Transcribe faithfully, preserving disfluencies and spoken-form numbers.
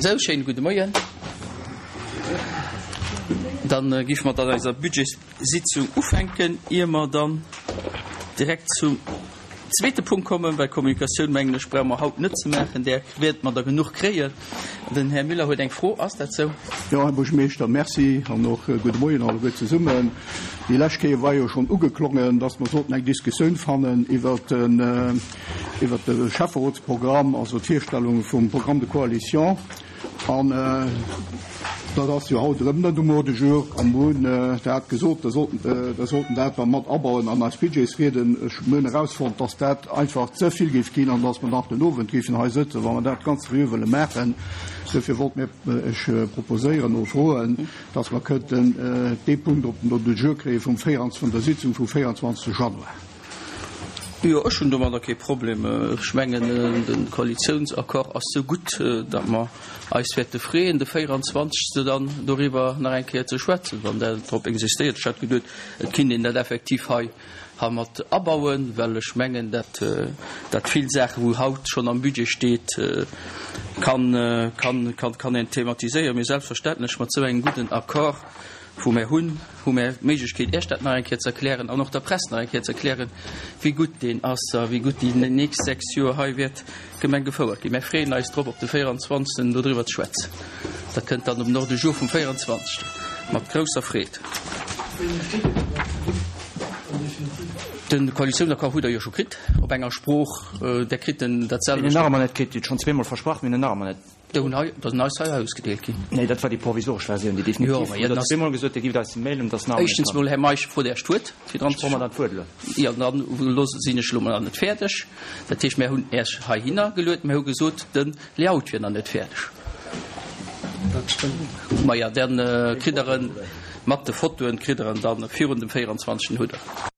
Sou, schéine gudde Moien. Dann géife mer dann eiser Budgetssitzung ufänken, ier mer dann direkt zum zweete Punkt kommen, well Kommunikatioun, mengen ech, brauche mer haut net ze maachen, där wäerte mer der genuch kréien. Den Här Müller huet eng Fro, ass dat sou? Jo, Här Buergermeeschter, merci an och gudde Moien alleguer zesummen. Déi lescht Kéier war jo schonn ugeklongen, dass mer sollten eng Diskussioun fannen iwwert den, iwwert de Schäfferotsprogramm, also d'Virstellung vum Programme de coalition. An dat ass jo haut erëm net um Ordre du jour. A mir hunn dat gesot, da sollten, da sollten dat da mat abauen an eis Budgetsrieden. Ech hunn erausfonnt, dass dat einfach ze vill géif ginn an dass mer nach den Owend géifen hei sëtzen, wa mer dat ganz seriö wëlle maachen. Duerfir wollt mir ech proposéieren oder froen, dass mer kënnten dee Punkt op den Ordre du jour kréie vum véieranzwanzeg, vun der Sitzung vum véieranzwanzegste Januar. Jo, ech hunn domadder kee Problem. Ech mengen, de Koalitiounsaccord ass sou gutt, datt mer eis wäerte freeën, de véieranzwanzegste dann doriwwer nach eng Kéier ze schwätzen, wann Der drop insistéiert. Ech hat geduet, et kinnt een dat effektiv hei mat abauen, well ech mengen, datt dat vill Saachen, wou haut schonn am Budget steet, kann, kann, kann een thematiséieren. Mee selbstverständlech, mat esou engem gudden Accord, wou mär hunn, hu mär d'Méiglechkeet, Iech dat nach eng Kéier ze erklären an och der Press nach eng Kéier ze erklären, wéi gutt deen ass a wéi gutt déi nächst sechs Joer hei wäert d'Gemeng gefouert ginn. Mär freeën eis drop, op de véieranzwanzegsten dodriwwer ze schwätzen. Dat kënnt dann op den Ordre du jour vum véieranzwanzegsten mat grousser Freed. De Koalitiounsaccord hutt Der jo scho kritt op enger Sprooch. Der kritt en dat selwecht. Mir hunn en nach ëmmer net kritt. Dir hutt schonn zweemol versprach, mir hunn en nach ëmmer net. Déi hunn hei, dat ass eis hei ausgedeelt ginn. Nee, dat war déi provisoresch Versioun, déi definitiv. Jo, mä Dir hutt zweemol gesot, Dir gift eis e mailen, dat ass nach ëmmer net Éischtens mol, Här Meisch, frot Äech d'Wuert, fir dran ze. Ech froe mer dann d'Wuert elo. Jo, dann loosse sinn ech elo mol nach net fäerdeg. Dat heescht, mär hunn Äech heihinner geluet, mär hu gesot, de Layout wier nach net fäerdeg. Dat stëmmt net. Maja, dann kritt Der en mat de Fotoen, kritt Der en dann virun dem véieranzwanzegsten hutt Der.